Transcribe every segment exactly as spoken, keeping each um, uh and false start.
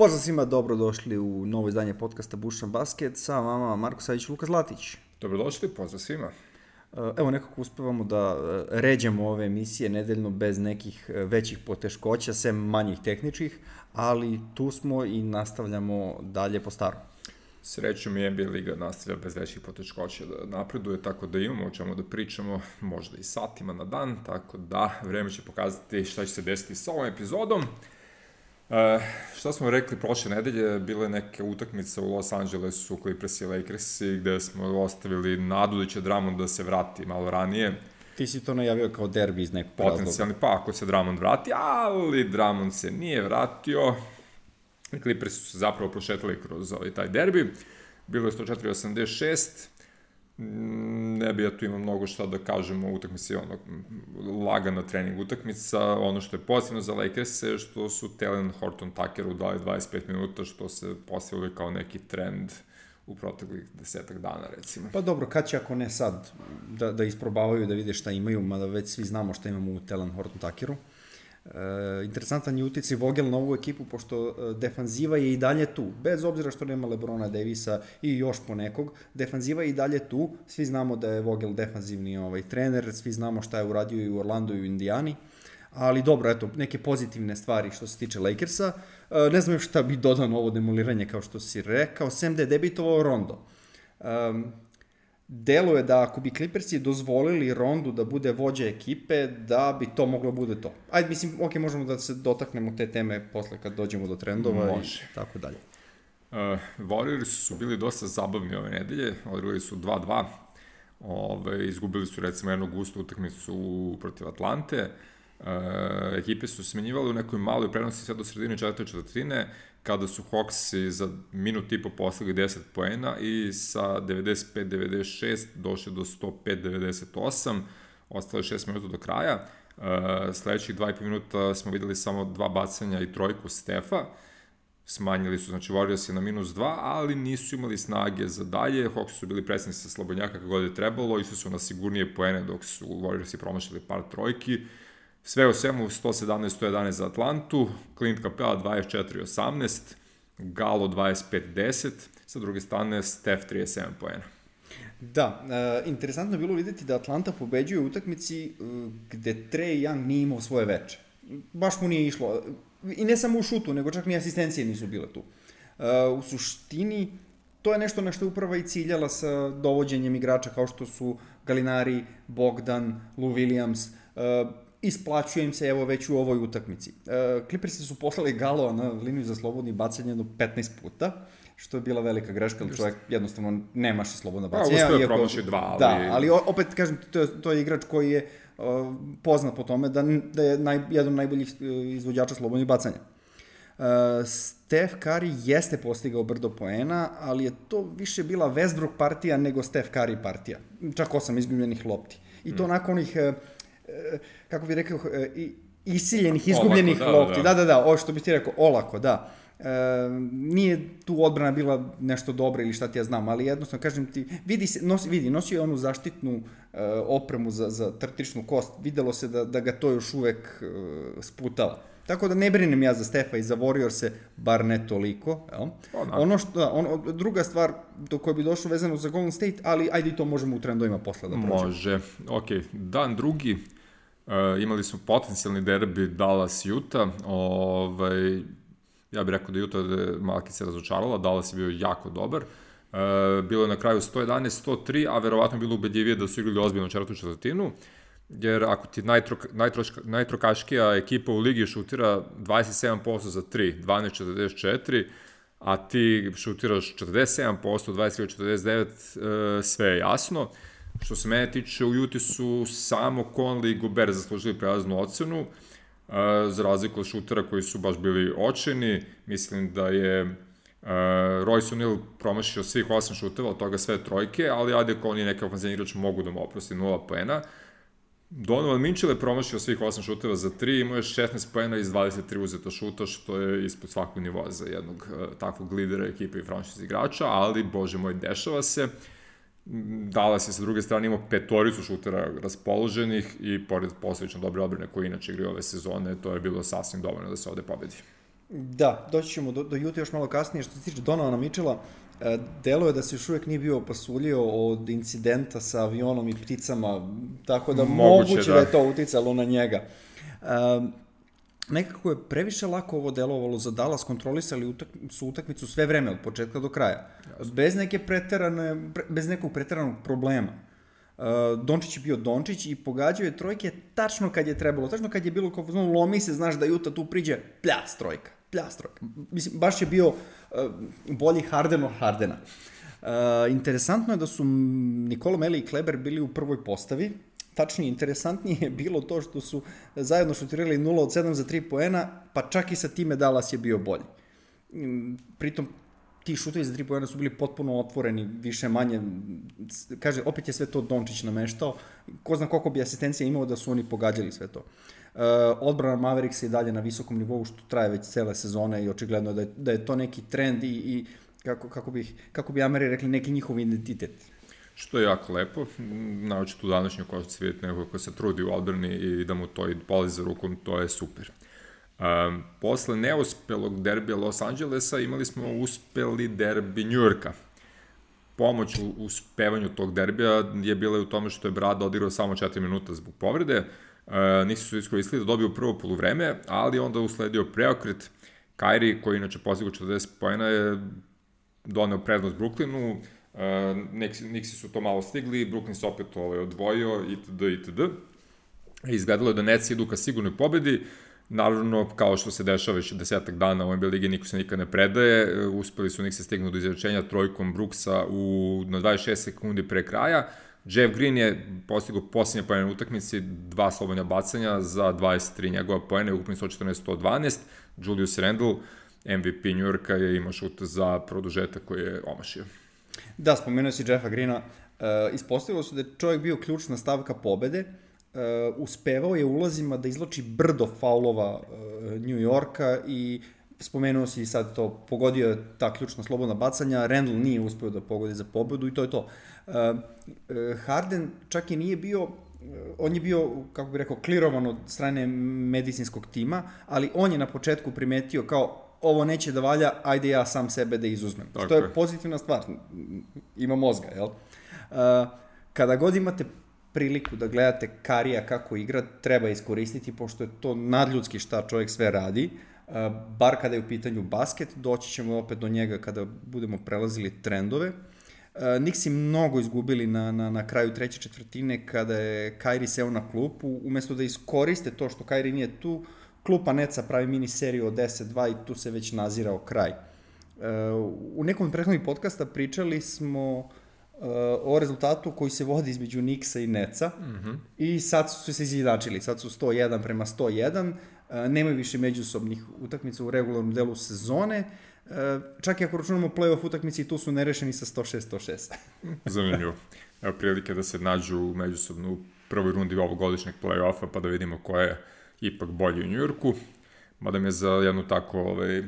Pozdrav svima, dobrodošli u novo izdanje podcasta Bušan Basket sa vama Marko Savić i Luka Zlatić. Dobrodošli, pozdrav svima. Evo, nekako uspevamo da ređemo ove emisije nedeljno bez nekih većih poteškoća, sem manjih tehničkih, ali tu smo i nastavljamo dalje po starom. Srećom i N B A liga nastavlja bez većih poteškoća da napreduje, tako da imamo o čemu da pričamo, možda i satima na dan, tako da vreme će pokazati šta će se desiti sa ovom epizodom. Uh, šta smo rekli prošle nedelje, bile neke utakmice u Los Angelesu, Clippers i Lakersi, gde smo ostavili nadu da će Drummond da se vrati malo ranije. Ti si to najavio kao derbi iz nekog razloga. Potencijalni, pa ako se Drummond vrati, ali Drummond se nije vratio. Clippers su se zapravo prošetali kroz ovaj, taj derbi. Bilo je sto četiri osamdeset šest. Ne bi ja tu imao mnogo šta da kažemo o utakmici, ono, lagana trening utakmica. Ono što je pozitivno za Lakers je što su Talen Horton-Tuckeru dali dvadeset pet minuta, što se postavili kao neki trend u proteklih desetak dana, recimo. Pa dobro, kad će ako ne sad da, da isprobavaju, da vide šta imaju, mada već svi znamo šta imamo u Talen Horton-Tuckeru. E, interesantan je uticaj Vogel na ovu ekipu, pošto defanziva je i dalje tu, bez obzira što nema LeBrona Davisa i još ponekog, defanziva je i dalje tu, svi znamo da je Vogel defanzivni ovaj, trener, svi znamo šta je uradio i u Orlandu i u Indijani, ali dobro, eto, neke pozitivne stvari što se tiče Lakersa. E, ne znam još šta bi dodao na ovo demoliranje, kao što si rekao, sem da je debitovao Rondo. Um, Delo je da ako bi Clippersi dozvolili Rondu da bude vođa ekipe, da bi to moglo bude to. Ajde, mislim, ok, možemo da se dotaknemo te teme posle kad dođemo do trendova. Može. I tako dalje. Uh, Warriors su bili dosta zabavni ove nedelje, odigrali su dva dva, ove, izgubili su recimo jednu gustu utakmicu protiv Atlante. Uh, ekipe su smenjivali u nekoj maloj prednosti sve do sredine četvrte četvrtine, kada su Hawksi za minut i po postigli deset poena i sa devedeset pet devedeset šest došli do sto pet devedeset osam, ostalo je šest minuta do kraja. Uh, sledećih dva i po minuta smo videli samo dva bacanja i trojku Stefa, smanjili su, znači Warriors je na minus dva, ali nisu imali snage za dalje. Hawksi su bili presni sa slobodnjaka kako god je trebalo, išli su na sigurnije poene dok su Warriorsi promašili par trojki. Sve u svemu sto sedamnaest sto jedanaest za Atlantu, Clint Capela dvadeset četiri osamnaest, Galo dvadeset pet deset, sa druge strane Steph trideset sedam poena. Da, e, interesantno je bilo vidjeti da Atlanta pobeđuje u utakmici e, gde Trae Young nije imao svoje veče. Baš mu nije išlo. I ne samo u šutu, nego čak ni asistencije nisu bile tu. E, u suštini, to je nešto na što je uprava i ciljala sa dovođenjem igrača kao što su Gallinari, Bogdan, Lou Williams, e, isplaćuje im se evo već u ovoj utakmici. E, Clippersi su poslali Galoa na liniju za slobodni bacanje jedno petnaest puta, što je bila velika greška, ali čovjek jednostavno ne maše slobodna bacanja. Pa, uspio promaši dva, ali... Da, ali opet, kažem, to je, to je igrač koji je uh, poznat po tome da, da je naj, jedan od najboljih izvođača slobodnih bacanja. Uh, Steph Curry jeste postigao brdo poena, ali je to više bila Westbrook partija nego Steph Curry partija. Čak osam izgubljenih lopti. I to mm. nakon onih... Uh, kako bih rekao, isiljenih, izgubljenih olako, da, lopti. Da, da, da, ovo što bih ti rekao, olako, da. E, nije tu odbrana bila nešto dobro ili šta ti ja znam, ali jednostavno, kažem ti, vidi, se, nosi, vidi nosio je onu zaštitnu e, opremu za, za trtičnu kost, videlo se da, da ga to još uvek e, sputava. Tako da ne brinem ja za Stefa i za Warriorse, bar ne toliko. Jel? Ono što, ono, druga stvar do koje bi došlo vezano za Golden State, ali ajde i to možemo u trendovima posle da prođemo. Može, ok. Dan drugi, uh, imali smo potencijalni derbi Dallas-Utah. Ovaj, ja bih rekao da Utah malki se razočarala, Dallas je bio jako dobar. Uh, bilo je na kraju sto jedanaest sto tri, a verovatno je bilo ubedljivije da su igrali ozbiljno četvrtu četvrtinu. Jer ako ti najtrok, najtroška, najtrokaškija ekipa u ligi šutira dvadeset sedam posto za tri, dvanaest četrdeset četiri, a ti šutiraš četrdeset sedam posto, dvadeset četrdeset devet, sve je jasno. Što se mene tiče, u Juti su samo Conley i Gobert zaslužili prelaznu ocenu, za razliku od šutera koji su baš bili očeni. Mislim da je Royce O'Neal promašio svih osam šuteva, od toga sve trojke, ali Adebayo i neka ofenzivni igrač mogu da mu oprosti nula poena. Donovan Mitchell je promašio svih osam šuteva za tri, imao je šesnaest poena iz dvadeset tri uzeta šuta, što je ispod svakog nivoa za jednog uh, takvog lidera ekipe i franšiz igrača, ali, bože moj, dešava se. Dallas je sa druge strane imao petoricu šutera raspoloženih i pored posljedično dobre odbrane koje inače igraju ove sezone, to je bilo sasvim dovoljno da se ovde pobedi. Da, doći ćemo do, do Juta još malo kasnije. Što se tiče Donovana Mitchella, delo je da se još uvijek nije bio opasuljio od incidenta sa avionom i pticama, tako da moguće, moguće da. da je to uticalo na njega. Um, nekako je previše lako ovo delovalo za Dallas, kontrolisali utak, su utakmicu sve vreme, od početka do kraja. Jasno. Bez neke preterane, bez nekog preteranog problema. Uh, Dončić je bio Dončić i pogađao je trojke tačno kad je trebalo, tačno kad je bilo kao no, lomi se, znaš da Juta tu priđe, pljas trojka, pljas trojka. Mislim, baš je bio uh, bolji Harden od Hardena. Uh, interesantno je da su Nikola Meli i Kleber bili u prvoj postavi. Tačnije, interesantnije je bilo to što su zajedno šutirali nula od sedam za tri poena, pa čak i sa time Dallas je bio bolji. Pritom, ti šutovi za tri poena su bili potpuno otvoreni, više manje, kaže, opet je sve to Dončić nameštao, ko zna koliko bi asistencija imao da su oni pogađali sve to. Uh, odbrana Mavericks je dalje na visokom nivou, što traje već cele sezone i očigledno da je, da je to neki trend i, i kako, kako, bih, kako bi Ameri rekli, neki njihov identitet. Što je jako lepo, naočito u današnjoj košarci vidjeti nekog ko se trudi u odbrani i da mu to i poli za rukom, to je super. Um, posle neuspelog derbija Los Angelesa imali smo uspeli derbi Njujorka. Pomoć u uspevanju tog derbija je bila u tome što je Brad odigrao samo četiri minuta zbog povrede. Uh, nisu su iskoristili da dobiju prvo poluvreme, ali onda usledio preokret. Kyrie, koji inače postigao četrdeset poena, je doneo prednost Brooklynu. Uh, Nixi su to malo stigli, Brooklyn se opet ovaj, odvojio, itd. itd. Izgledalo je da Netsi idu ka sigurnoj pobedi. Naravno, kao što se dešava već desetak dana u N B A ligi, niko se nikad ne predaje. Uspeli su Nixi stignu do izrečenja trojkom Brooksa u, na dvadeset šest sekundi pre kraja. Jeff Green je postigao posljednje poene u utakmici, dva slobodna bacanja za dvadeset tri njegova poene, ukupno sto četrnaest sto dvanaest. Julius Randle, M V P New Yorka, je imao šut za produžetak koji je omašio. Da, spomenuo si Jeffa Greena, uh, ispostavilo su da je čovjek bio ključna stavka pobede, uh, uspevao je ulazima da izloči brdo faulova uh, New Yorka i spomenuo si sad to, pogodio je ta ključna slobodna bacanja, Randle nije uspeo da pogodi za pobedu i to je to. Uh, uh, Harden čak i nije bio, uh, on je bio, kako bih rekao, klirovan od strane medicinskog tima, ali on je na početku primetio kao ovo neće da valja, ajde ja sam sebe da izuzmem. Tako što je pozitivna stvar, ima mozga, jel? Uh, kada god imate priliku da gledate Karija kako igra, treba iskoristiti, pošto je to nadljudski šta čovjek sve radi, uh, bar kada je u pitanju basket, doći ćemo opet do njega kada budemo prelazili trendove. Uh, Nixi mnogo izgubili na, na, na kraju treće četvrtine kada je Kyrie seo na klupu, umesto da iskoriste to što Kyrie nije tu, klupa Netsa pravi mini seriju od deset dva i tu se već nazirao kraj. Uh, u nekom od prethodnih podcasta pričali smo uh, o rezultatu koji se vodi između Knicksa i Netsa mm-hmm. i sad su se izjednačili. Sad su sto jedan prema sto jedan, uh, nemaju više međusobnih utakmica u regularnom delu sezone. Uh, čak i ako računamo play-off utakmici, tu su nerešeni sa sto šest sto šest. Zanimljivo. Evo prilike da se nađu međusobno u prvoj rundi ovogodišnjeg play-offa pa da vidimo ko je ipak bolji u Njujorku, mada mi je za jednu tako ovaj, e,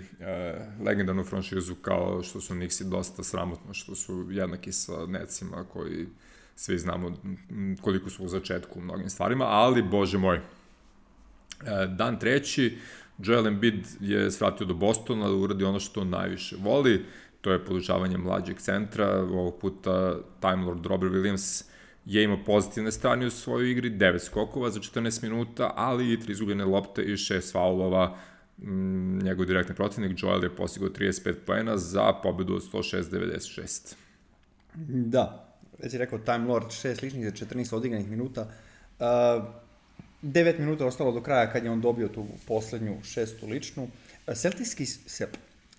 legendarnu franšizu kao što su Knicksi dosta sramotno, što su jednaki sa Netsima koji svi znamo koliko su u začetku u mnogim stvarima, ali bože moj. E, dan treći, Joel Embiid je svratio do Bostona da uradi ono što najviše voli, to je podučavanje mlađeg centra, ovog puta Time Lord Robert Williams je imao pozitivne strane u svojoj igri, devet skokova za četrnaest minuta, ali i tri izgubljene lopte i šest faulova. Njegov direktni protivnik Joel je postigao trideset pet poena za pobedu od sto šest devedeset šest. Da, već je rekao Time Lord, šest ličnih za četrnaest odigranih minuta. Uh, devet minuta ostalo do kraja kad je on dobio tu poslednju šestu ličnu. Celticski se...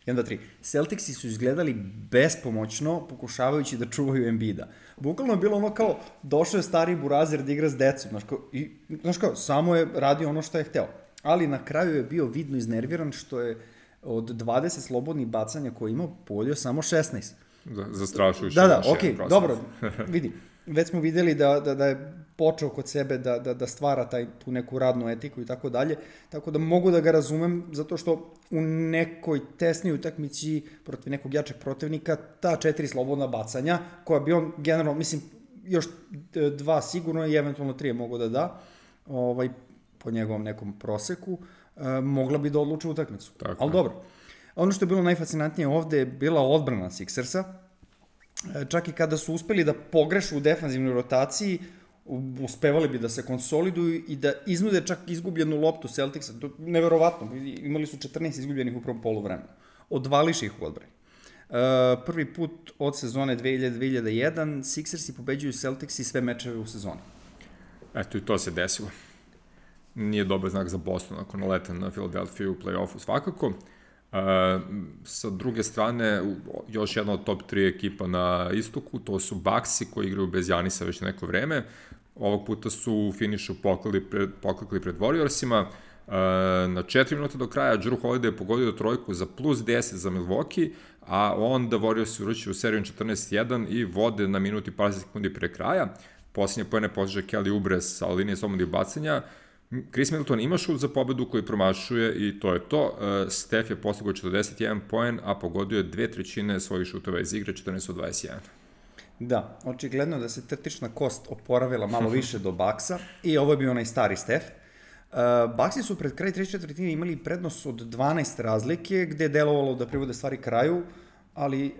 jedan, dva, tri. Celticsi su izgledali bespomoćno pokušavajući da čuvaju Embida. Bukvalno je bilo ono kao, došao je stari burazer da igra s decom, znaš kao, i, znaš kao, samo je radio ono što je hteo. Ali na kraju je bio vidno iznerviran što je od dvadeset slobodnih bacanja koje je imao pogodio samo šesnaest. Zastrašujuće. Da, da, okej, okay, dobro, vidi. Već smo videli da, da, da je počeo kod sebe da, da, da stvara taj, tu neku radnu etiku i tako dalje, tako da mogu da ga razumem, zato što u nekoj tesnoj utakmici protiv nekog jačeg protivnika, ta četiri slobodna bacanja, koja bi on generalno, mislim, još dva sigurno i eventualno tri je mogo da da, ovaj, po njegovom nekom proseku, mogla bi da odluče utakmicu. Tako. Ali dobro. Ono što je bilo najfascinantnije ovde je bila odbrana Sixersa. Čak i kada su uspeli da pogrešu u defanzivnoj rotaciji, uspevali bi da se konsoliduju i da iznude čak izgubljenu loptu Celticsa. To je neverovatno. Imali su četrnaest izgubljenih u prvom poluvremenu. Odvališ ih u odbrani. Prvi put od sezone dve hiljade do dve hiljade jedan Sixersi pobeđuju Celticsi sve mečeve u sezoni. Eto, i to se desilo. Nije dobar znak za Boston ako nalete na Philadelphia u play-offu svakako. Uh, sa druge strane, još jedna od top tri ekipa na istoku, to su Bucksi koji igraju bez Janisa već neko vreme. Ovog puta su u finišu poklekli pred, poklekli pred Warriorsima. Uh, na četiri minuta do kraja Jrue Holiday je pogodio trojku za plus deset za Milwaukee, a onda Warriors uručuju serijom četrnaest jedan i vode na minuti par sekundi pre kraja. Posljednje pojene postiže Kelly Oubre sa linije slobodnih bacanja. Chris Middleton ima šut za pobedu koji promašuje i to je to. Steph je postigao četrdeset jedan poen, a pogodio je dve trećine svojih šutova iz igre, četrnaest od dvadeset jedan. Da, očigledno da se trtična kost oporavila malo više do Bucksa i ovo je bio onaj stari Steph. Uh, Bucksi su pred kraj treće četvrtine imali prednost od dvanaest razlike, gde je delovalo da privode stvari kraju, ali uh,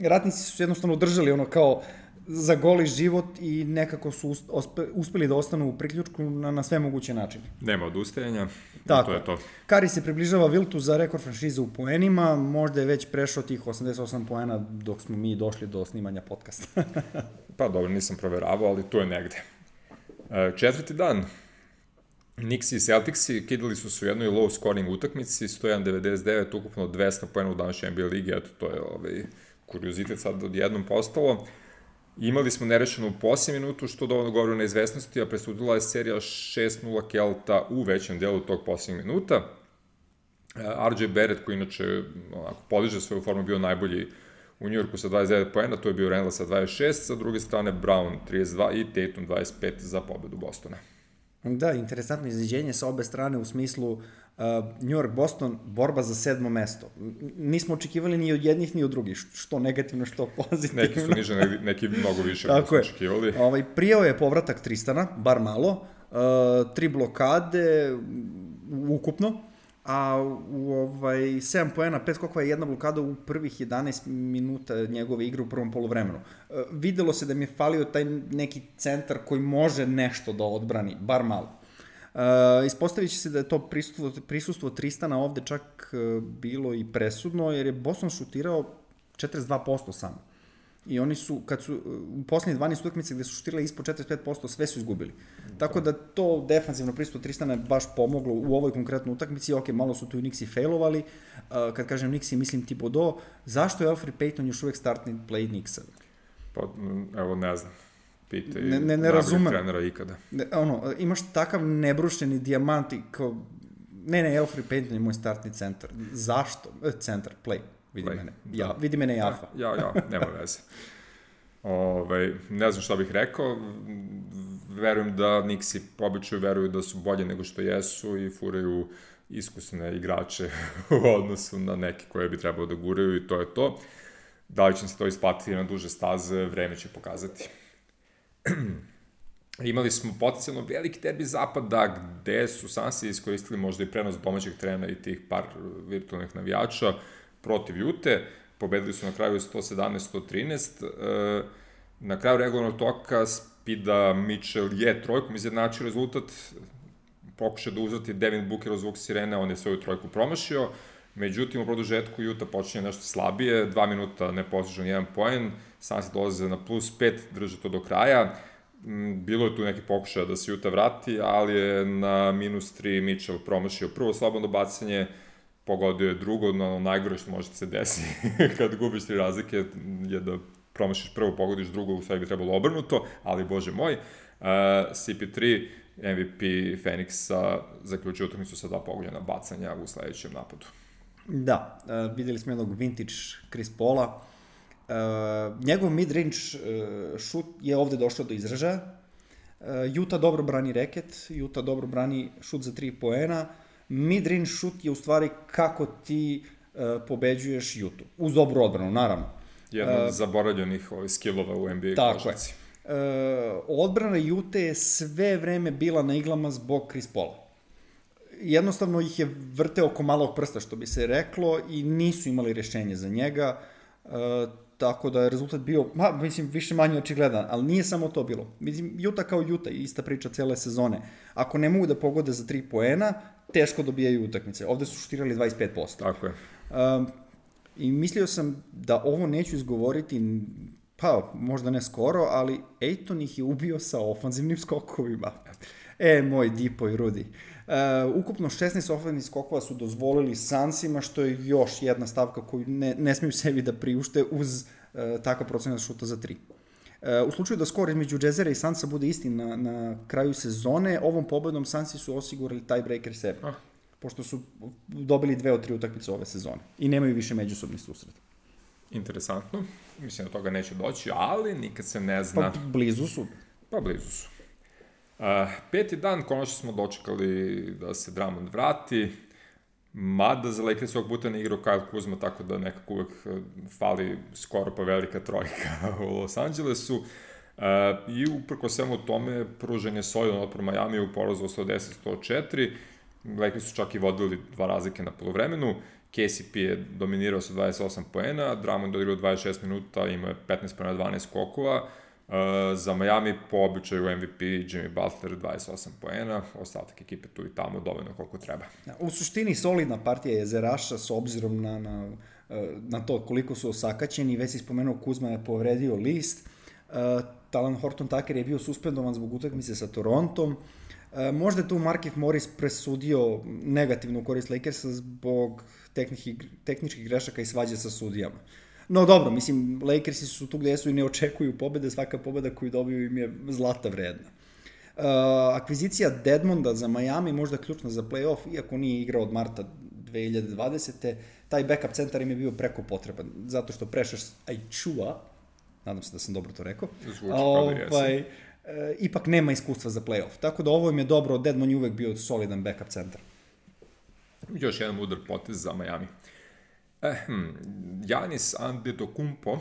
ratnici su jednostavno držali ono kao za goli život i nekako su uspe, uspeli da ostanu u priključku na, na sve moguće načine. Nema odustajanja, tako to je to. Kari se približava Wiltu za rekord franšize u poenima, možda je već prešao tih osamdeset osam poena dok smo mi došli do snimanja podcasta. Pa dobro, nisam proveravao, ali to je negde. Četvrti dan. Knicks i Celticsi kidali su se u jednoj low scoring utakmici, sto jedan devedeset devet, ukupno dvesta poena u današnjoj N B A ligi, eto to je ovaj, kuriozitet sad odjednom postalo. Imali smo nerešenu u posljednjem minutu, što dovoljno govori o neizvesnosti, a presudila je serija šest nula Kelta u većem delu tog posljednjeg minuta. R J Barrett, koji inače onako, podiže svoju formu, bio najbolji u Njujorku sa dvadeset devet poena, to je bio Randle sa dvadeset šest, sa druge strane Brown trideset dva i Tatum dvadeset pet za pobedu Bostona. Da, interesantno iznenađenje sa obe strane u smislu uh, New York-Boston, borba za sedmo mesto. Nismo očekivali ni od jednih ni od drugih, što negativno, što pozitivno. Neki su niže, neki mnogo više nego smo očekivali. Ovaj, prijao je povratak Tristana, bar malo, uh, tri blokade ukupno, a u ovaj, sedam poena, pet skokova je jedna blokada u prvih jedanaest minuta njegove igre u prvom poluvremenu. E, videlo se da mi je falio taj neki centar koji može nešto da odbrani, bar malo. E, ispostavit će se da je to prisustvo, prisustvo Tristana ovde čak e, bilo i presudno, jer je Boston šutirao četrdeset dva posto samo. I oni su, kad su u poslednjih dvanaest utakmica gde su šutirali ispod četrdeset pet posto, sve su izgubili. Tako da to defanzivno prisustvo Tristana je baš pomoglo u ovoj konkretnoj utakmici. Ok, malo su tu i Knicksi failovali. Uh, kad kažem Knicksi, mislim Thibodeau. Zašto je Elfrid Payton još uvek startni play Knicksa? Pa, evo, ne znam. Pitaj ne, ne, ne razumem. Trenera ikada. Ne, ono, imaš takav nebrušeni dijamant i kao... Ne, ne, Elfrid Payton je moj startni centar. Zašto? Centar, play. Vidi play. mene. Ja, vidi mene Jafa. Ja, ja, nema veze. Ove, ne znam šta bih rekao. Verujem da Knicksi po običaju veruju da su bolje nego što jesu i furaju iskusne igrače u odnosu na neke koje bi trebalo da guraju i to je to. Da li će se to isplatiti na duže staze, vreme će pokazati. Imali smo potencijalno veliki derbi zapada gde su Sansi iskoristili možda i prenos domaćeg trena i tih par virtualnih navijača protiv Jute. Pobedili su na kraju sto sedamnaest sto trinaest. Na kraju regularnog toka Spida Mitchell je trojkom izjednačio rezultat. Pokušao da uzvrati Devin Booker od zvuk sirene, on je svoju trojku promašio. Međutim, u produžetku Juta počinje nešto slabije. Dva minuta ne postižu jedan poen. Sansi dolaze na plus pet, drže to do kraja. Bilo je tu neki pokušaj da se Juta vrati, ali je na minus tri Mitchell promašio prvo slobodno bacanje, pogodio je drugo, no najgore što može da se desi kad gubiš tri razlike je da promašiš prvo, pogodiš drugo, u sve bi trebalo obrnuto, ali bože moj, uh, C P tri, M V P Phoenixa, zaključio utakmicu sa dva pogođena bacanja u sledećem napadu. Da, uh, videli smo jednog vintage Chris Paula. Uh, njegov mid-range uh, šut je ovde došao do izražaja. Uh, Utah dobro brani reket, Utah dobro brani šut za tri poena. Mid-range šut je u stvari kako ti uh, pobeđuješ Utah. Uz dobru odbranu, naravno. Jedno od uh, zaboravljenih ovih skillova u N B A košarci. Tako je. Uh, odbrana Utah je sve vreme bila na iglama zbog Chris Paula. jednostavno ih je vrteo oko malog prsta, što bi se reklo, i nisu imali rješenje za njega, uh, tako da je rezultat bio, ma, mislim, više manje očigledan, ali nije samo to bilo. Mislim, Utah kao Utah, ista priča cele sezone. Ako ne mogu da pogode za tri poena, teško dobijaju utakmice. Ovde su šutirali dvadeset pet posto. Tako je. Um, I mislio sam da ovo neću izgovoriti, pa možda ne skoro, ali Ayton ih je ubio sa ofanzivnim skokovima. E, moj Dipo i Rudi. Uh, ukupno šesnaest ofanzivnih skokova su dozvolili Sunsima, što je još jedna stavka koju ne, ne smiju sebi da priušte uz uh, takav procenat šuta za tri. Uh, u slučaju da skor između Jazzera i Sunsa bude isti na, na kraju sezone, ovom pobedom Sunsi su osigurali tiebreaker sebi. Ah. Pošto su dobili dve od tri utakmice ove sezone i nemaju više međusobni susret. Interesantno. Mislim da toga neće doći, ali nikad se ne zna. Pa blizu su. Pa blizu su. Uh, peti dan, konačno smo dočekali da se Drummond vrati, mada za Lakers ovog puta ne igrao Kyle Kuzma, tako da nekako uvek fali skoro pa velika trojka u Los Angelesu. Uh, I uprko svemu tome, pružen je solidan otpor Miami u porazu sto deset sto četiri, Lakers su čak i vodili dva razlike na polovremenu, K C P je dominirao sa dvadeset osam poena, Drummond odigrao dvadeset šest minuta, imao je petnaest poena, dvanaest skokova, uh, za Miami po običaju M V P Jimmy Butler dvadeset osam poena, ostatak ekipe tu i tamo dovoljno koliko treba. U suštini solidna partija jezeraša s obzirom na, na, na to koliko su osakaćeni, već si spomenuo Kuzma je povredio list, uh, Talan Horton Tucker je bio suspendovan zbog utakmice sa Torontom. E, možda je tu Markieff Morris presudio negativnu korist Lakersa zbog tehničkih grešaka i svađe sa sudijama. No dobro, mislim, Lakersi su tu gde su i ne očekuju pobede, svaka pobeda koju dobiju im je zlata vredna. E, akvizicija Dedmonda za Miami možda ključna za playoff, iako nije igrao od marta dve hiljade dvadesete. Taj backup centar im je bio preko potreban, zato što Precious Achiuwa, nadam se da sam dobro to rekao, Zvuči kao da ovaj, E, ipak nema iskustva za play-off. Tako da ovo im je dobro, Dedmon je uvek bio solidan backup centar. Još jedan udar potez za Miami. Eh, hm, Giannis Antetokounmpo,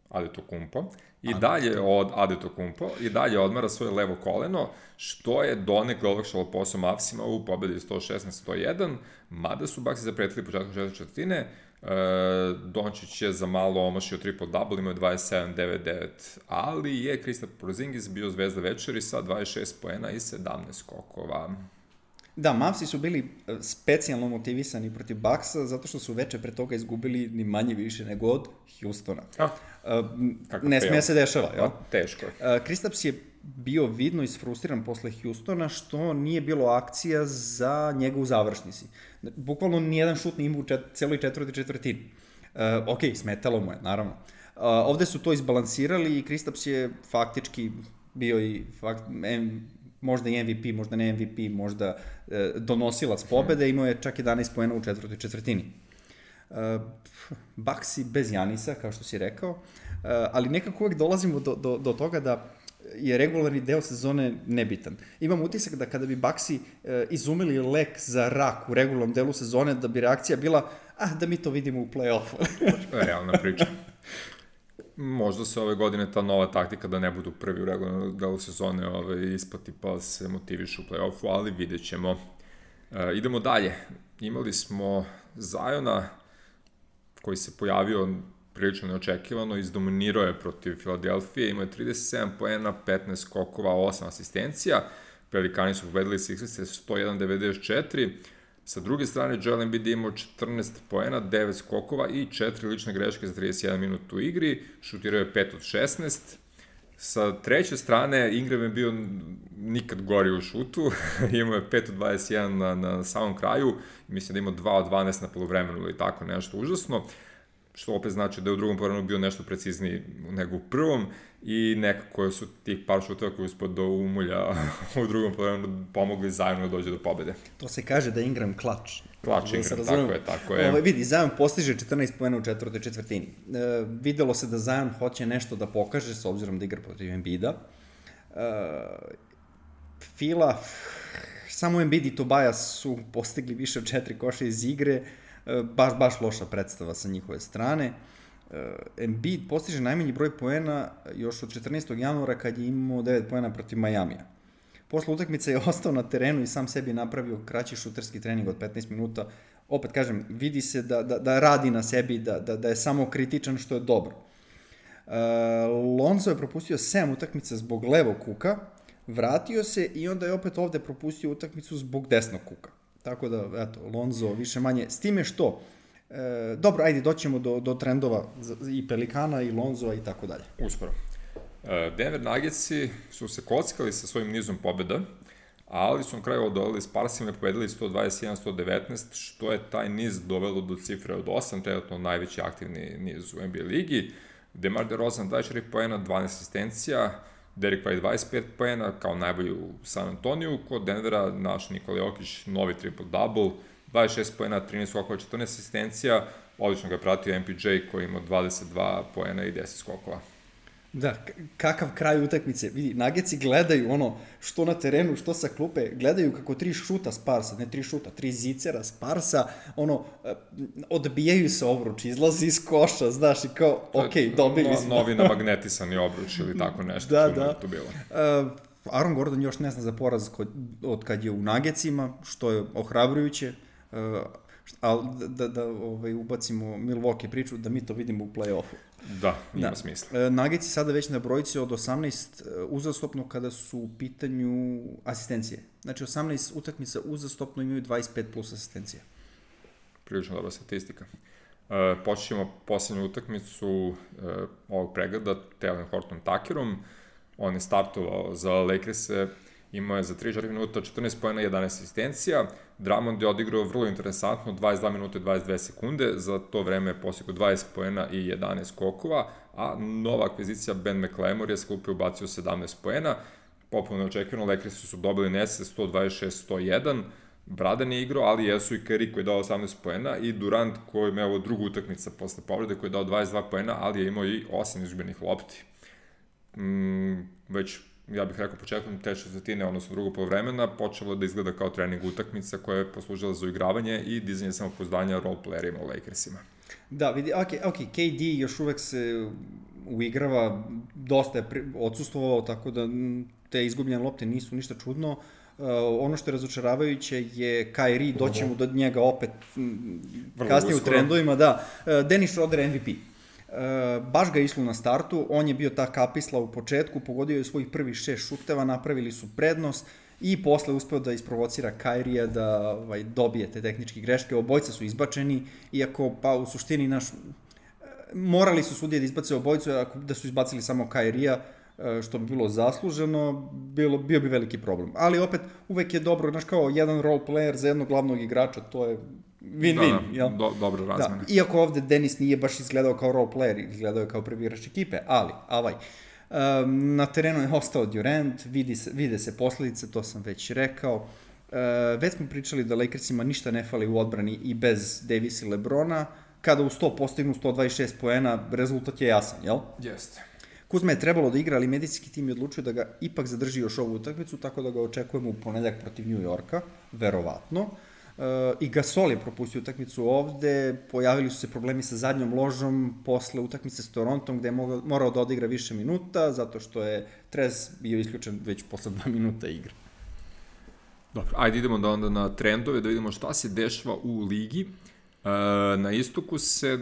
Antetokounmpo, i dalje od Antetokounmpo, i dalje odmara svoje levo koleno, što je donekle olakšalo posao Mavsima u pobedi sto šesnaest sto jedan, mada su Bucksi zapretili početkom četvrte četvrtine. Uh, Dončić je za malo omašio triple-double, imao je dvadeset sedam devet devet, ali je Kristaps Porzingis bio zvezda večeri sa dvadeset šest poena i sedamnaest skokova. Da, Mavsi su bili specijalno motivisani protiv Bucksa, zato što su veče pre toga izgubili ni manje više nego od Houstona. A, uh, ne smije se dešava, jel? Teško je. Uh, Kristaps je bio vidno isfrustriran posle Houstona, što nije bilo akcija za njega u završnici. Bukvalno nijedan šut nije imao u čet, celoj četvrti četvrtini. Uh, ok, smetalo mu je, naravno. Uh, ovde su to izbalansirali i Kristaps je faktički bio i fakt, em, možda i M V P, možda ne M V P, možda e, donosilac pobede, imao je čak jedanaest poena u četvrtoj četvrtini. E, Bucksi bez Janisa, kao što si rekao, e, ali nekako uvek dolazimo do, do, do toga da je regularni deo sezone nebitan. Imam utisak da kada bi Bucksi e, izumili lek za rak u regularnom delu sezone, da bi reakcija bila, ah, da mi to vidimo u play-offu. Realna priča. Možda se ove godine ta nova taktika da ne budu prvi u regularnom delu sezone ove, isplati pa se motivišu u play-offu, ali vidjet ćemo. E, idemo dalje. Imali smo Ziona koji se pojavio prilično neočekivano, izdominirao je protiv Filadelfije, imao je trideset sedam poena, petnaest skokova, osam asistencija. Pelikani su pobedili Sixerse sto jedan devedeset četiri. Sa druge strane, Joel Embiid imao četrnaest poena, devet skokova i četiri lične greške za trideset jedan minut u igri, šutirao je pet od šesnaest. Sa treće strane, Ingram je bio nikad gori u šutu, imao je pet od dvadeset jedan na, na samom kraju, mislim da imao dva od dvanaest na polovremenu ili tako nešto užasno, što opet znači da je u drugom polovremenu bio nešto precizniji nego u prvom i nekako su tih par šuteva koji uspod do umulja u drugom polovremenu pomogli Zionu da dođe do pobede. To se kaže da je Ingram klač. Klač Ingram, da tako je, tako je. Ovo, vidi, Zion postiže četrnaest poena u četvrtoj četvrtini. E, videlo se da Zion hoće nešto da pokaže s obzirom da igra protiv Embida. E, Fila, samo Embiid i Tobias su postigli više od četiri koša iz igre, e, baš, baš loša predstava sa njihove strane. Uh, Embiid postiže najmanji broj poena još od četrnaestog januara kad je imao devet poena protiv Majamija. Posle utakmice je ostao na terenu i sam sebi napravio kraći šuterski trening od petnaest minuta. Opet kažem, vidi se da, da, da radi na sebi, da, da, da je samo kritičan, što je dobro. Uh, Lonzo je propustio sedam utakmica zbog levog kuka, vratio se i onda je opet ovde propustio utakmicu zbog desnog kuka. Tako da, eto, Lonzo više manje, s time što, e, dobro, ajde, doćemo do, do trendova i Pelikana i Lonzoa i tako dalje. Uskoro. Denver Nuggetsi su se kockali sa svojim nizom pobjeda, ali su na kraju odolili s Parsima i pobedili sto dvadeset jedan sto devetnaest, što je taj niz dovelo do cifre od osam, trenutno najveći aktivni niz u N B A ligi. DeMar DeRozan dvadeset četiri poena, dvanaest asistencija, Derek White dvadeset pet poena, kao najbolji u San Antoniju. Kod Denvera naš Nikola Jokić, novi triple-double, dvadeset šest poena, trinaest skokova, četrnaest asistencija, odlično ga je pratio M P J koji ima dvadeset dva poena i deset skokova. Da, kakav kraj utakmice. Vidi, Nuggetsi gledaju ono, što na terenu, što sa klupe, gledaju kako tri šuta Sparsa, ne tri šuta, tri zicera Sparsa, ono, odbijaju se obruč, izlazi iz koša, znaš, i kao, okej, okay, dobili smo. Novi namagnetisani obruč ili tako nešto, da, što da. je to bilo. Uh, Aaron Gordon još ne zna za poraz kod, od kad je u Nuggetsima, što je ohrabrujuće, uh, ali da, da, da ovaj, ubacimo Milwaukee priču, da mi to vidimo u play-offu. Da, ima da. smisla. Uh, Nuggetsi sada već na brojici od osamnaest uzastopno kada su u pitanju asistencije. Znači osamnaest utakmica uzastopno imaju dvadeset pet plus asistencije. Prilično dobra statistika. Uh, počnemo poslednju utakmicu uh, ovog pregleda Talen Horton-Tuckerom. On je startovao za Lakers-e, imao je za tri četiri minuta četrnaest poena, jedanaest asistencija. Drummond je odigrao vrlo interesantno, dvadeset dva minuta i dvadeset dve sekunde, za to vreme je postigao dvadeset poena i jedanaest skokova, a nova akvizicija Ben McLemore je s klupe ubacio sedamnaest poena. Popuno neočekivano, Lakersi su dobili Nese sto dvadeset šest sto jedan, Bradan je igrao, ali jesu i Curry koji je dao osamnaest poena i Durant koji je ovo drugu utakmica posle povrede koji je dao dvadeset dva poena, ali je imao i osam izgubljenih lopti. Mm, već, ja bih rekao, početkom te četvrtine, odnosno drugog polovremena, počelo da izgleda kao trening utakmica koja je poslužila za uigravanje i dizanje samopouzdanja roleplayerima u Lakersima. Da, vidi, ok, ok, K D još uvek se uigrava, dosta je odsustvovao, tako da te izgubljene lopte nisu ništa čudno. Uh, ono što je razočaravajuće je Kyrie, doćemo do njega opet Vrlo kasnije uskoro. U trendovima, da. Uh, Dennis Schroeder M V P. Uh, baš ga je išlo na startu, on je bio ta kapisla u početku, pogodio je svojih prvih šest šuteva, napravili su prednost i posle uspeo da isprovocira Kyrie da ovaj, dobije te tehničke greške. Obojca su izbačeni, iako pa u suštini naš, morali su sudije da izbace obojcu, ako da su izbacili samo Kyrie-a, što bi bilo zasluženo, bilo, bio bi veliki problem. Ali opet, uvek je dobro, znaš, kao jedan role player za jednog glavnog igrača, to je win-win, da, jel? Do, dobro razmene. Da, iako ovde Dennis nije baš izgledao kao role player, izgledao je kao prvi igrač ekipe, ali, avaj, um, na terenu je ostao Durant, vidi se, vide se posledice, to sam već rekao. Uh, već smo pričali da Lakersima ništa ne fali u odbrani i bez Davisa i Lebrona, kada u sto postignu sto dvadeset šest poena, rezultat je jasan, jel? Jeste. Kuzma je trebalo da igra, ali medicinski tim je odlučio da ga ipak zadrži još ovu utakmicu, tako da ga očekujemo u ponedeljak protiv New Yorka, verovatno. Uh, I Gasol je propustio utakmicu ovde, pojavili su se problemi sa zadnjom ložom posle utakmice s Torontom, gde je mogao, morao da odigra više minuta, zato što je Trez bio isključen već posle dva minuta igre. Dobro, ajde idemo da onda na trendove, da vidimo šta se dešava u ligi. Na istoku se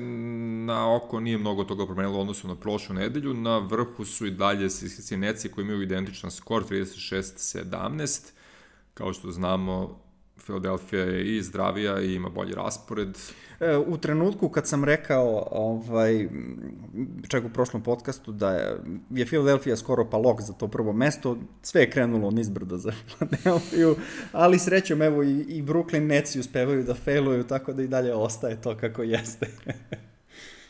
na oko nije mnogo toga promenilo u odnosu na prošlu nedelju. Na vrhu su i dalje Cincinnati koji imaju identičan skor trideset šest sedamnaest. Kao što znamo, Philadelphia je i zdravija i ima bolji raspored. U trenutku kad sam rekao, ovaj, čak u prošlom podcastu, da je, je Philadelphia skoro pa lok za to prvo mesto, sve je krenulo nizbrdo za Philadelphia, ali srećom, evo, i, i Brooklyn Netsi uspevaju da failuju, tako da i dalje ostaje to kako jeste.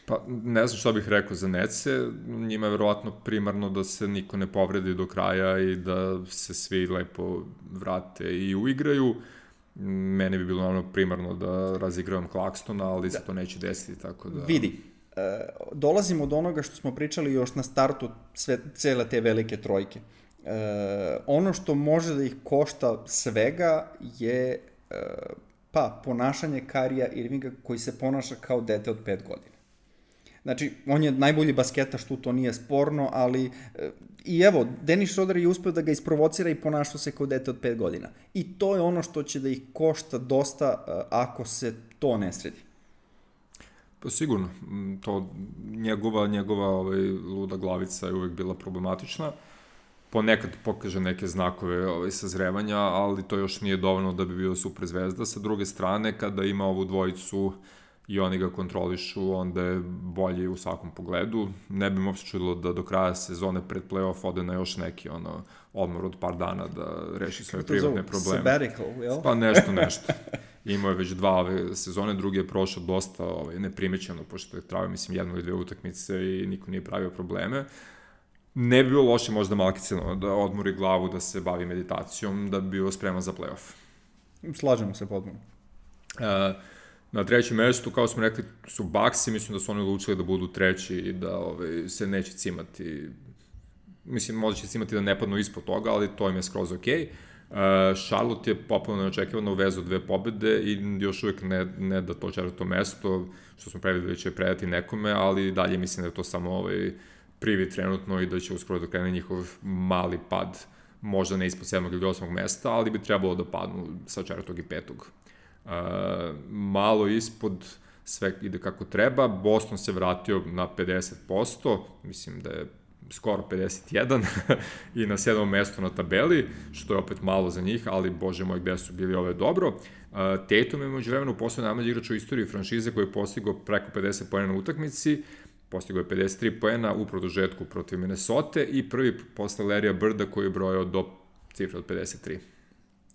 Pa, ne znam šta bih rekao za Netse, njima je verovatno primarno da se niko ne povredi do kraja i da se svi lepo vrate i uigraju. Mene bi bilo naravno primarno da razigravam Claxtona, ali se da. to neće desiti, tako da... Vidi, e, dolazimo od onoga što smo pričali još na startu sve, cele te velike trojke. E, ono što može da ih košta svega je e, pa, ponašanje Kyrieja Irvinga koji se ponaša kao dete od pet godina. Znači, on je najbolji basketaš, tu to nije sporno, ali i evo, Dennis Schroeder je uspeo da ga isprovocira i ponašao se kao dete od pet godina. I to je ono što će da ih košta dosta ako se to ne sredi. Pa sigurno, to njegova, njegova ovaj, luda glavica je uvek bila problematična. Ponekad pokaže neke znakove ovaj, sazrevanja, ali to još nije dovoljno da bi bio super zvezda. Sa druge strane, kada ima ovu dvojicu i oni ga kontrolišu, onda je bolji u svakom pogledu. Ne bi mi uopšte čudilo da do kraja sezone pred play-off ode na još neki ono, odmor od par dana da reši svoje privatne probleme. Sabbatical, jel? Pa nešto, nešto. Imao je već dva ove sezone, drugi je prošao dosta ovaj, neprimećeno, pošto je trajao, mislim, jednu ili dve utakmice i niko nije pravio probleme. Ne bi bilo loše možda malkiceno da odmori glavu, da se bavi meditacijom, da bi bio spreman za play-off. Slažemo se potpuno. E, na trećem mestu, kao smo rekli, su Bucksi, mislim da su oni odlučili da budu treći i da ovaj, se neće cimati, mislim, možda će cimati da ne padnu ispod toga, ali to im je skroz okej. Uh, Charlotte je popularno neočekivano uvezu dve pobede i još uvijek ne, ne da to četvrto mesto, što smo prevideli će predati nekome, ali dalje mislim da je to samo ovaj privid trenutno i da će uskoro da krene njihov mali pad, možda ne ispod sedmog ili osmog mesta, ali bi trebalo da padnu sa četvrtog i petog. Uh, malo ispod sve ide kako treba, Boston se vratio na pedeset posto, mislim da je skoro pedeset jedan i na sedmom mestu na tabeli, što je opet malo za njih, ali bože moj, gde su bili ove dobro. Uh, Tatum je među vremenu postao najmlađi igrač u istoriji franšize koji je postigao preko pedeset poena na utakmici, postigao je pedeset tri poena u produžetku protiv Minnesota i prvi posle Larrya Birda koji je brojao do cifre od pedeset tri.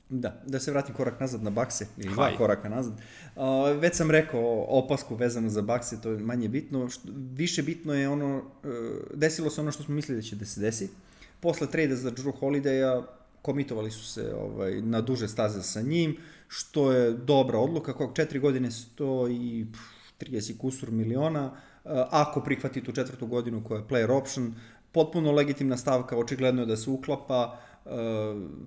Da, da se vratim korak nazad na Buckse, ili dva koraka nazad. Uh, već sam rekao opasku vezano za Buckse, to je manje bitno. Što, više bitno je ono, uh, desilo se ono što smo mislili da će da se desi. Posle trejda za Jrue Holidaya komitovali su se ovaj, na duže staze sa njim, što je dobra odluka, kog četiri godine stoji trideset kusur miliona, uh, ako prihvati tu četvrtu godinu koja je player option, potpuno legitimna stavka, očigledno je da se uklapa. Uh,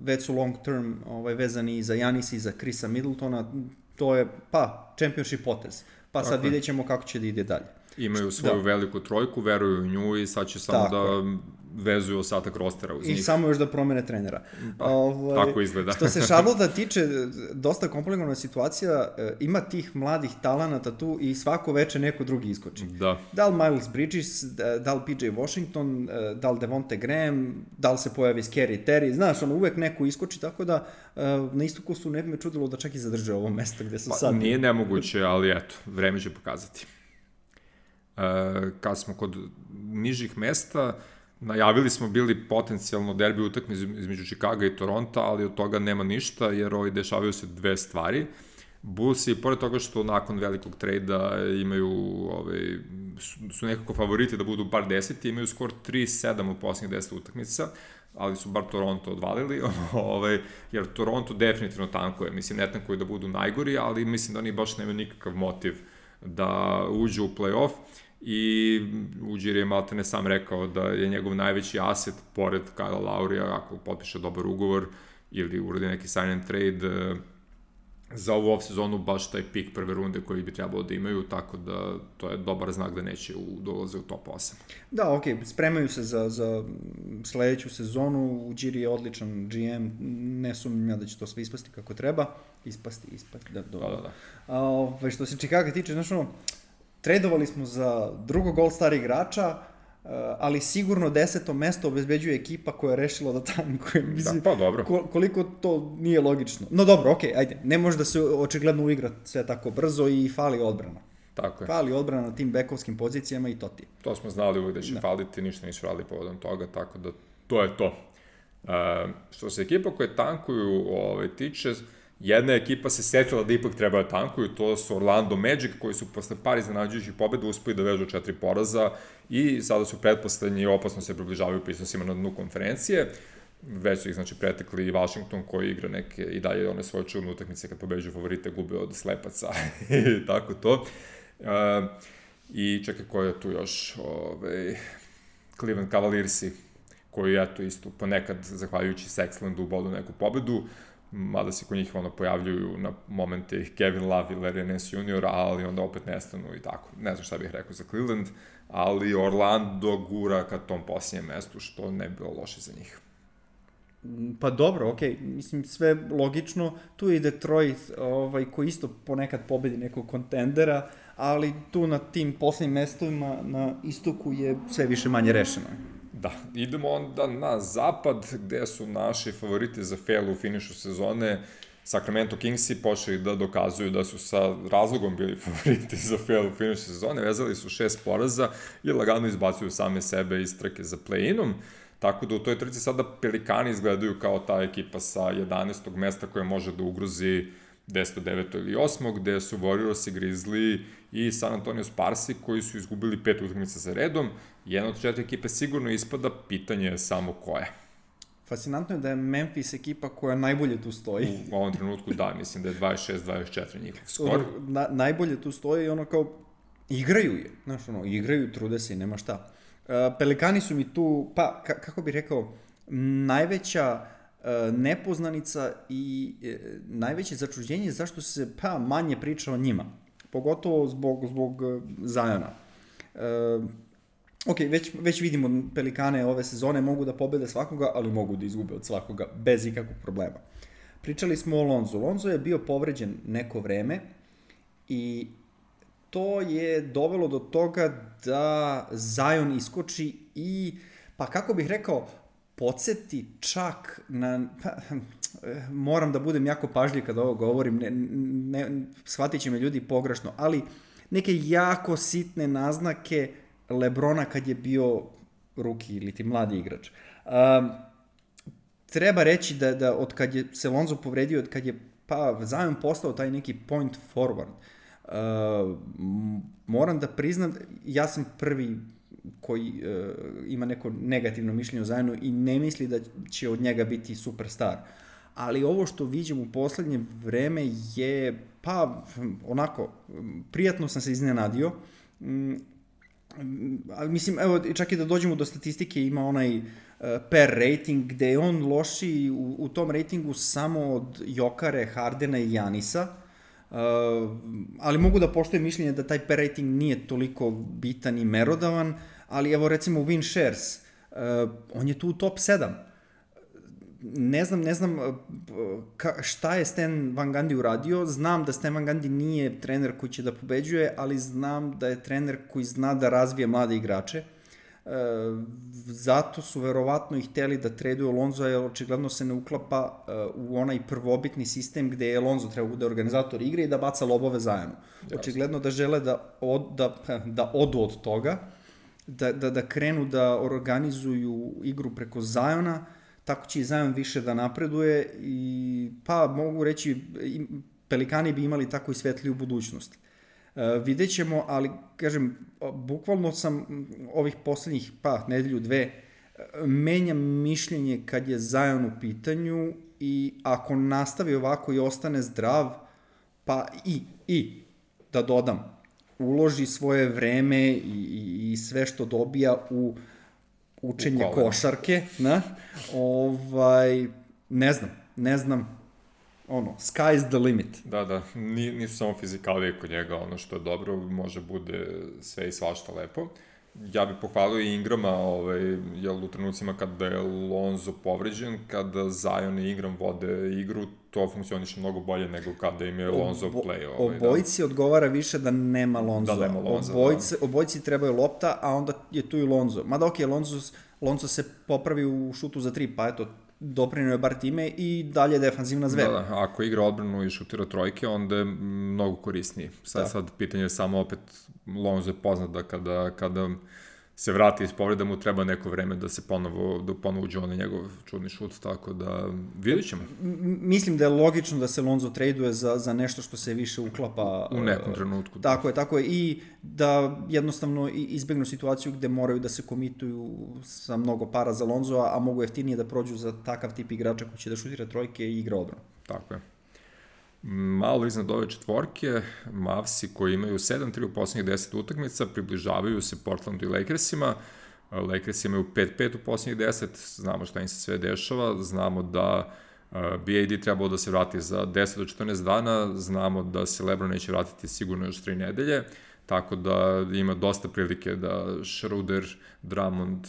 već su long term ovaj, vezani i za Janisa i za Chrisa Middletona, to je pa championship potez, pa sad vidjet ćemo kako će da ide dalje. Imaju svoju da. veliku trojku, veruju u nju i sad će samo tako da vezuju ostatak rostera uz I njih. I samo još da promene trenera. Pa, ovaj, tako izgleda. Što se Charlotte tiče, dosta komplikovana situacija, ima tih mladih talenata tu i svako veče neko drugi iskoči. Da. Da li Miles Bridges, da li P J Washington, da li Devonte Graham, da li se pojavi Scary Terry, znaš, ono uvek neko iskoči, tako da na istoku su ne bi me čudilo da čak i zadrže ovo mesto gde su pa, sad. Nije nemoguće, ali eto, vreme će pokazati. Uh, kad smo kod nižih mesta, najavili smo bili potencijalno derbi utakmicu između Chicaga i Toronta, ali od toga nema ništa, jer ovaj, dešavaju se dve stvari. Bullsi, pored toga što nakon velikog trejda imaju, ovaj, su, su nekako favoriti da budu bar deseti, imaju skor tri sedam u posljednjih deset utakmica, ali su bar Toronto odvalili, ovaj, jer Toronto definitivno tankuje. Mislim, ne tankuje da budu najgori, ali mislim da oni baš nemaju nikakav motiv da uđu u play-off. I Uđir je maltene sam rekao da je njegov najveći aset pored Kyle Laurija, ako potpiše dobar ugovor ili uradi neki sign and trade za ovu off sezonu, baš taj pik prve runde koji bi trebalo da imaju, tako da to je dobar znak da neće u, dolaze u top osam. Da, ok, spremaju se za, za sledeću sezonu, Uđir je odličan G M, ne sumnjam ja da će to sve ispasti kako treba, ispasti, ispasti, da, dobro. Da, da, da. A, ove, što se Chicago tiče, znaš ono, tradovali smo za drugog All-Star igrača, ali sigurno deseto mesto obezbeđuje ekipa koja je rešila da tankuje. Da, pa dobro. Koliko to nije logično. No dobro, okej, okay, ajde, ne može da se očigledno uigra sve tako brzo i fali odbrana. Tako je. Fali odbrana na tim bekovskim pozicijama i to ti. To smo znali uvijek da će da. faliti, ništa nisu radili povodom toga, tako da to je to. Uh, što se ekipa koje tankuju ovaj, tiče, jedna ekipa se setila da ipak treba da tankuju, to su Orlando Magic, koji su posle par iznenađujućih pobeda uspeli da vežu četiri poraza i sada su pretposlednji i opasno se približavaju prisnosima na dnu konferencije. Već su ih, znači, pretekli i Washington, koji igra neke i dalje one svoje čudne utakmice kad pobeđuju favorite, gube od slepaca i tako to. Uh, I čekaj, ko je tu još? Ove, Cleveland Cavaliersi, koji, eto, isto ponekad, zahvaljujući Sexlandu, bodu neku pobedu. mada se kod njih ono pojavljuju na momente Kevin Love i Larry Nance junior, ali onda opet nestanu i tako. Ne znam šta bih rekao za Cleveland, ali Orlando gura ka tom posljednjem mestu, što ne bi bilo loše za njih. Pa dobro, okej, okay. Mislim, sve logično. Tu je i Detroit, ovaj, koji isto ponekad pobedi nekog kontendera, ali tu na tim posljednjim mestovima na istoku je sve više manje rešeno. Da, idemo onda na zapad, gde su naši favoriti za fail u finišu sezone. Sacramento Kingsi počeli da dokazuju da su sa razlogom bili favoriti za fail u finišu sezone, vezali su šest poraza i lagano izbacuju same sebe iz trke za play-inom. Tako da u toj trci sada Pelikani izgledaju kao ta ekipa sa jedanaestog mesta koja može da ugrozi deseto, deveto ili osmo, gde su Warriors i Grizzly i San Antonio Sparsi koji su izgubili pet utakmica za redom. Jedna od četiri ekipe sigurno ispada, pitanje je samo koja. Fascinantno je da je Memphis ekipa koja najbolje tu stoji. U ovom trenutku da, mislim da je dvadeset šest dvadeset četiri njihov skor. Na, najbolje tu stoji i ono kao igraju je, znaš ono, igraju, trude se i nema šta. Pelikani su mi tu, pa, kako bih rekao, najveća uh, nepoznanica i uh, najveće začuđenje zašto se, pa, manje priča o njima. Pogotovo zbog, zbog uh, Ziona. Uh, ok, već, već vidimo Pelikane ove sezone mogu da pobede svakoga, ali mogu da izgube od svakoga bez ikakvog problema. Pričali smo o Lonzu. Lonzo je bio povređen neko vreme i to je dovelo do toga da Zion iskoči i, pa kako bih rekao, podsjeti čak na, pa, moram da budem jako pažljiv kada ovo govorim, ne, ne, shvatit će me ljudi pogrešno, ali neke jako sitne naznake LeBrona kad je bio ruki ili ti mladi igrač. Um, treba reći da, da od kad je se Lonzo povredio, od kad je pa Zion postao taj neki point forward, Uh, moram da priznam, ja sam prvi koji uh, ima neko negativno mišljenje o Zionu i ne misli da će od njega biti superstar. Ali ovo što vidim u poslednje vreme je, pa, onako, prijatno sam se iznenadio. Um, ali mislim, evo, čak i da dođemo do statistike, ima onaj uh, per rating, gde je on lošiji u, u tom ratingu samo od Jokare, Hardena i Janisa. Uh, ali mogu da poštujem mišljenje da taj per rating nije toliko bitan i merodavan, ali evo recimo win shares, uh, on je tu u top sedam. Ne znam, ne znam ka, šta je Stan Van Gundy uradio, znam da Stan Van Gundy nije trener koji će da pobeđuje, ali znam da je trener koji zna da razvije mlade igrače. Uh, zato su verovatno i hteli da traduju Lonzo, jer očigledno se ne uklapa uh, u onaj prvobitni sistem gde je Lonzo treba bude organizator igre i da baca lobove Zionu. Očigledno da žele da, od, da, da odu od toga, da, da, da krenu da organizuju igru preko Ziona, tako će i Zion više da napreduje i pa mogu reći Pelikani bi imali tako i svetliju budućnost. Uh, vidjet ćemo, ali kažem, bukvalno sam ovih poslednjih pa nedelju dve menjam mišljenje kad je Zion u pitanju i ako nastavi ovako i ostane zdrav, pa i, i da dodam, uloži svoje vreme i, i, i sve što dobija u učenje u košarke, na, ovaj, ne znam, ne znam, ono, sky's the limit. Da, da, nisu samo fizikalije kod njega, ono što je dobro, može bude sve i svašta lepo. Ja bih pohvalio i Ingrama, ovaj, jer u trenucima kada je Lonzo povređen, kada Zion i Ingram vode igru, to funkcioniše mnogo bolje nego kada im je Lonzo Obo, play. Ovaj, obojici da. Odgovara više da nema Lonzo. Da nema Lonzo, obojici, da. Obojici trebaju lopta, a onda je tu i Lonzo. Mada ok, Lonzo, Lonzo se popravi u šutu za tri, pa eto, doprinio je bar time i dalje defanzivna zver. Da, da, ako igra odbranu i šutira trojke, onda je mnogo korisniji. Sad, da. Sad pitanje je samo opet, Lonzo je poznat da kada, kada se vrati iz povreda mu treba neko vreme da se ponovo, da ponovo uđe onaj njegov čudni šut, tako da vidjet ćemo. Mislim da je logično da se Lonzo traduje za, za nešto što se više uklapa u nekom trenutku. Da. Tako je, tako je, i da jednostavno izbegnu situaciju gde moraju da se komituju sa mnogo para za Lonzo, a mogu jeftinije da prođu za takav tip igrača koji će da šutira trojke i igra odbranu. Tako je. Malo iznad ove četvorke, Mavsi koji imaju sedam tri u poslednjih deset utakmica, približavaju se Portlandu i Lakersima. Lakers imaju pet pet u poslednjih deset, znamo šta im se sve dešava, znamo da B A D trebao da se vrati za deset do četrnaest dana, znamo da se LeBron neće vratiti sigurno još tri nedelje, tako da ima dosta prilike da Schroeder, Drummond,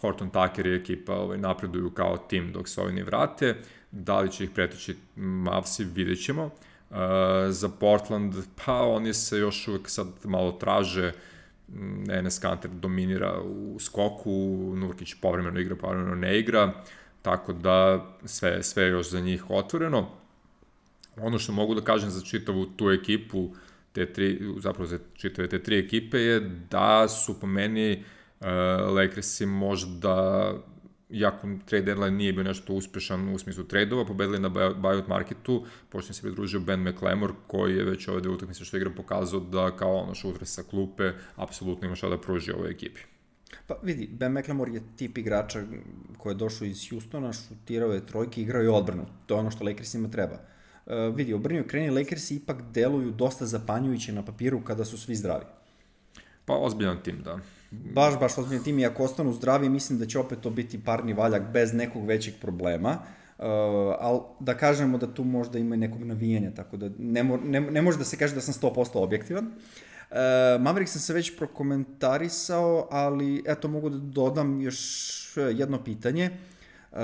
Horton Tucker i ekipa ovaj, napreduju kao tim dok se ovi ne vrate. Da li će ih pretići Mavsi, vidjet ćemo. Uh, za Portland, pa oni se još uvek sad malo traže. Enes Kanter dominira u skoku, Nurkić povremeno igra, povremeno ne igra, tako da sve, sve je još za njih otvoreno. Ono što mogu da kažem za čitavu tu ekipu, te tri, zapravo za čitave te tri ekipe je da su po meni uh, Lakersi možda, iako trade deadline nije bio nešto uspešan u smislu trade-ova, pobedili na buyout marketu, počne se pridružio Ben McLemore, koji je već ove dve utakmice što igra pokazao da kao ono šutre sa klupe, apsolutno ima šta da pruži ovoj ekipi. Pa vidi, Ben McLemore je tip igrača koji je došao iz Houstona, šutirao je trojke, igrao je odbranu. To je ono što Lakersima treba. Uh, vidi, obrnio kreni, Lakersi ipak deluju dosta zapanjujuće na papiru kada su svi zdravi. Pa ozbiljan tim, da. Baš, baš ozbiljan tim i ako ostanu zdravi, mislim da će opet to biti parni valjak bez nekog većeg problema. Uh, ali da kažemo da tu možda ima i nekog navijanja, tako da ne, mo, ne, ne može da se kaže da sam sto posto objektivan. Uh, Maverick sam se već prokomentarisao, ali eto mogu da dodam još jedno pitanje. Uh,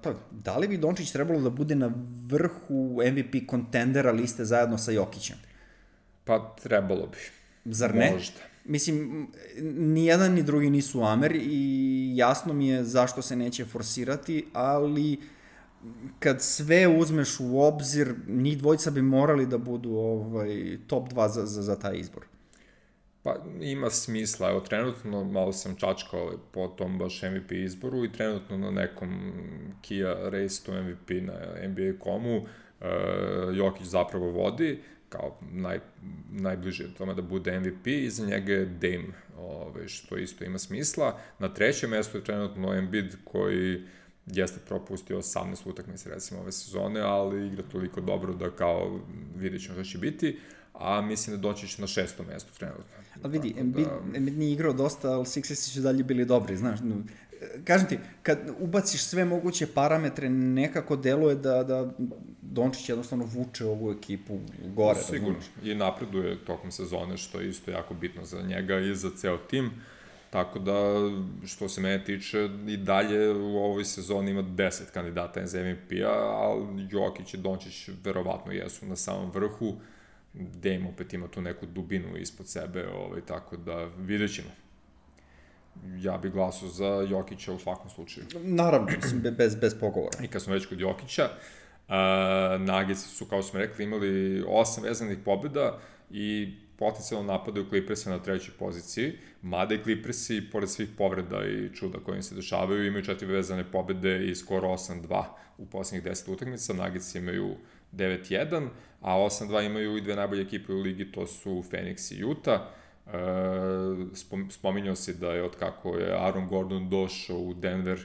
pa, da li bi Dončić trebalo da bude na vrhu M V P kontendera liste zajedno sa Jokićem? Pa trebalo bi. Zar ne? Možda. Mislim, ni jedan ni drugi nisu Amer i jasno mi je zašto se neće forsirati, ali kad sve uzmeš u obzir, njih dvojica bi morali da budu ovaj, top dva za, za, za taj izbor. Pa ima smisla, evo trenutno malo sam čačkao po tom baš M V P izboru i trenutno na nekom Kia Race to M V P na N B A dot comu uh, Jokić zapravo vodi, kao naj, najbliže tome da bude M V P, i za njega je Dame, ove, što isto ima smisla. Na trećem mjestu je trenutno Embiid koji jeste propustio osamnaest utakmica recimo ove sezone, ali igra toliko dobro da kao vidjet ćemo što će biti, a mislim da doći će na šestom mjestu trenutno. Ali vidi, Embiid, da... Embiid nije igrao dosta, ali Sixersi su dalje bili dobri, znaš. Kažem ti, kad ubaciš sve moguće parametre, nekako deluje da, da Dončić jednostavno vuče ovu ekipu gore. Sigurno, i napreduje tokom sezone, što je isto jako bitno za njega i za ceo tim. Tako da, što se mene tiče, i dalje u ovoj sezoni ima deset kandidata za M V P-a, ali Jokić i Dončić verovatno jesu na samom vrhu. Dame opet ima tu neku dubinu ispod sebe, ovaj, tako da vidjet ćemo. Ja bih glasao za Jokića u svakom slučaju. Naravno, mislim, bez, bez pogovora. I kad smo već kod Jokića, uh, Nuggets su, kao smo rekli, imali osam vezanih pobjeda i potencijalno napadaju Clippersa na trećoj poziciji, mada i Clippersi, pored svih povreda i čuda koje im se dešavaju, imaju četiri vezane pobjede i skoro osam dva u posljednjih deset utakmica. Nuggets imaju devet jedan, a osam dva imaju i dve najbolje ekipe u ligi, to su Phoenix i Utah. Uh, spominjao si da je od kako je Aaron Gordon došao u Denver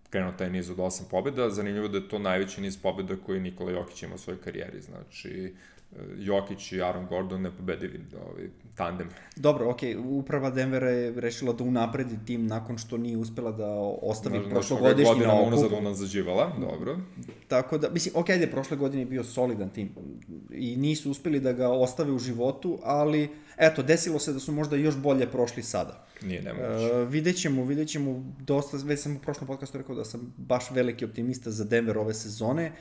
krenuo taj niz od osam pobjeda. Zanimljivo da je to najveći niz pobjeda koji Nikola Jokić ima u svojoj karijeri, znači Jokić i Aaron Gordon nepobedivi ovaj, tandem. Dobro, okej, okay. Uprava Denvera je rešila da unapredi tim nakon što nije uspela da ostavi Znaš, prošlogodišnji na okupu. Unazad unazađivala, dobro. Tako da, mislim, okej, okay, ajde, prošle godine je bio solidan tim i nisu uspeli da ga ostave u životu, ali, eto, desilo se da su možda još bolje prošli sada. Nije nemoguće. Uh, vidjet ćemo, vidjet ćemo, dosta, već sam u prošlom podcastu rekao da sam baš veliki optimista za Denver ove sezone.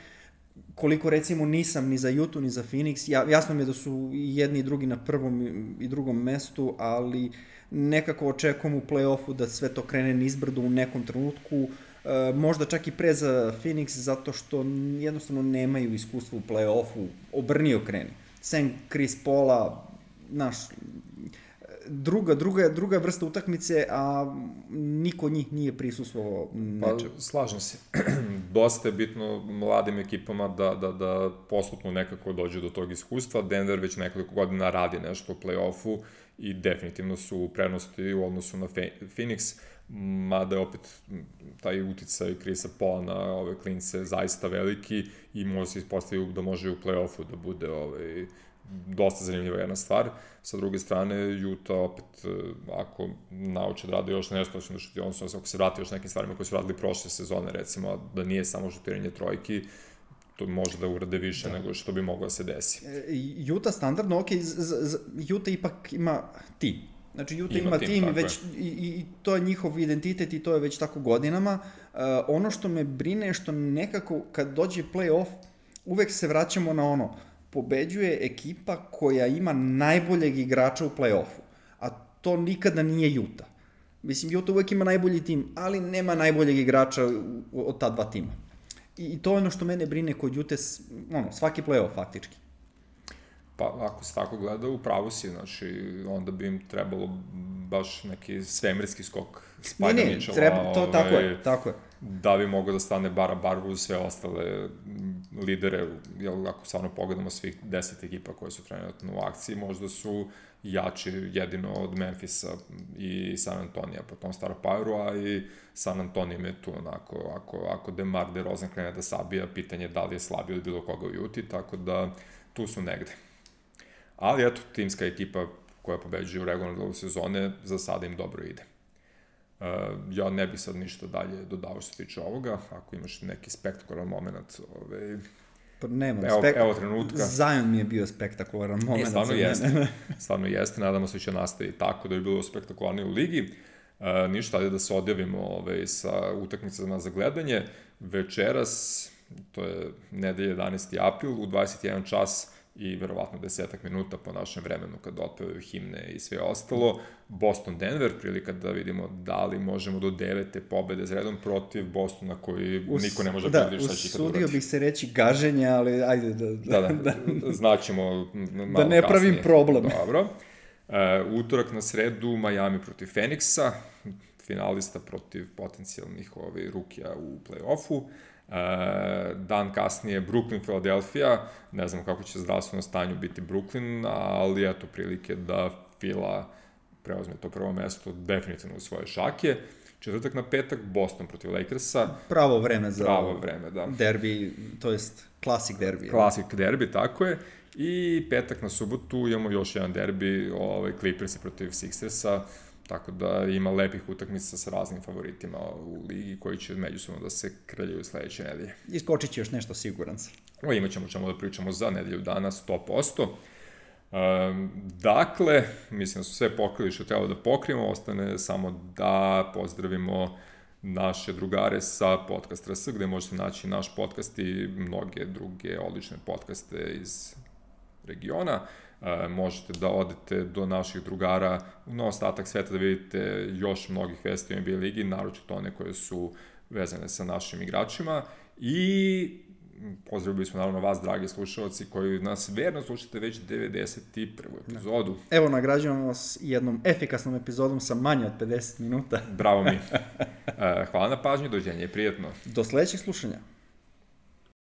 Koliko recimo nisam ni za Utah ni za Phoenix, ja, jasno mi je da su i jedni i drugi na prvom i drugom mestu, ali nekako očekujem u play-offu da sve to krene nizbrdo u nekom trenutku, e, možda čak i pre za Phoenix, zato što jednostavno nemaju iskustva u play-offu, obrnio kreni. Sem Chris Paula, naš, druga, druga, druga vrsta utakmice, a niko od njih nije prisustvovao nečemu. Pa, slažem se. Dosta je bitno mladim ekipama da, da, da postupno nekako dođe do tog iskustva. Denver već nekoliko godina radi nešto u play-offu i definitivno su u prednosti u odnosu na Phoenix, mada je opet taj uticaj Chrisa Paula na ove klince zaista veliki i može se ispostaviti da može u play-offu da bude ovaj, dosta zanimljiva jedna stvar. Sa druge strane, Utah opet, ako nauče da rade još nešto, odnosno ako se vrati još nekim stvarima koje su radili prošle sezone, recimo, da nije samo šutiranje trojki, to može da urade više da. nego što bi moglo da se desi. Utah standardno, ok, Utah ipak ima tim. Znači, Utah ima, ima tim, tim već, i, i to je njihov identitet i to je već tako godinama. Uh, ono što me brine je što nekako kad dođe play-off, uvek se vraćamo na ono, pobeđuje ekipa koja ima najboljeg igrača u play-offu, a to nikada nije Utah. Mislim, Utah uvek ima najbolji tim, ali nema najboljeg igrača od ta dva tima. I, i to je ono što mene brine kod Utah, ono, svaki play-off faktički. Pa, ako se tako gleda, u pravu si, znači, onda bi im trebalo baš neki svemirski skok Spajda Mitchella. Ne, ne, treba, to, ovaj, tako je, tako je. Da bi mogao da stane bara barbu uz sve ostale lidere, jel, ako stvarno pogledamo svih deset ekipa koje su trenutno u akciji, možda su jači jedino od Memphisa i San Antonija po tom Star Poweru, a i San Antonio je tu onako, ako, ako DeMar DeRozan krene da sabija, pitanje da li je slabio od bilo koga u Uti, tako da tu su negde. Ali eto, timska ekipa koja pobeđuje u regularnom delu sezone, za sada im dobro ide. Uh, ja ne bih sad ništa dalje dodao što se tiče ovoga, ako imaš neki spektakularan moment, ovaj, pa nemam, evo, spek... evo trenutka. Zion mi je bio spektakularan moment. E, stvarno jeste, stvarno jeste, nadamo se će nastavi tako da je bilo spektakularnije u ligi. Uh, ništa, ali da se odjavimo ovaj, sa utakmicama za gledanje. Večeras, to je nedelje jedanaesti april, u dvadeset jedan čas i verovatno desetak minuta po našem vremenu kad otpevaju himne i sve ostalo. Boston-Denver, prilika da vidimo da li možemo do devete pobede za redom protiv Bostona koji Us, niko ne može da predvidjeti šta će ikad urati. Usudio bih se reći gaženje, ali ajde da... Da, da, da znaćemo malo kasnije. Da ne pravim kasnije. Problem. Dobro. Uh, utorak na sredu Miami protiv Phoenixa, finalista protiv potencijalnih ovaj, rukija u play-offu. Uh, dan kasnije Brooklyn, Philadelphia, ne znam kako će zdravstveno stanju biti Brooklyn, ali eto prilike da Fila preuzme to prvo mesto definitivno u svoje šake. Četvrtak na petak Boston protiv Lakersa. Pravo vreme za Pravo vreme, da. derbi, to jest klasik derbi. Klasik derbi, tako je. I petak na subotu imamo još jedan derbi, ovaj, Clippersi protiv Sixersa. Tako da ima lepih utakmica sa raznim favoritima u ligi koji će međusobno da se kraljaju sledeće nedelje. Iskočit će još nešto, siguran sam. O, imat ćemo čemu da pričamo za nedelju dana, sto posto. Um, dakle, mislim da su sve pokrili što treba da pokrijemo, ostane samo da pozdravimo naše drugare sa Podcast R S, gde možete naći naš podcast i mnoge druge odlične podcaste iz regiona. Uh, možete da odete do naših drugara na ostatak sveta da vidite još mnogih vesti u N B A ligi, naročito one koje su vezane sa našim igračima i pozdravili bismo naravno vas, dragi slušalci, koji nas verno slušate već devedeset prvu epizodu. Evo, nagrađujemo vas jednom efikasnom epizodom sa manje od pedeset minuta. Bravo mi. Uh, hvala na pažnju, dođenje, prijetno. Do sledećeg slušanja.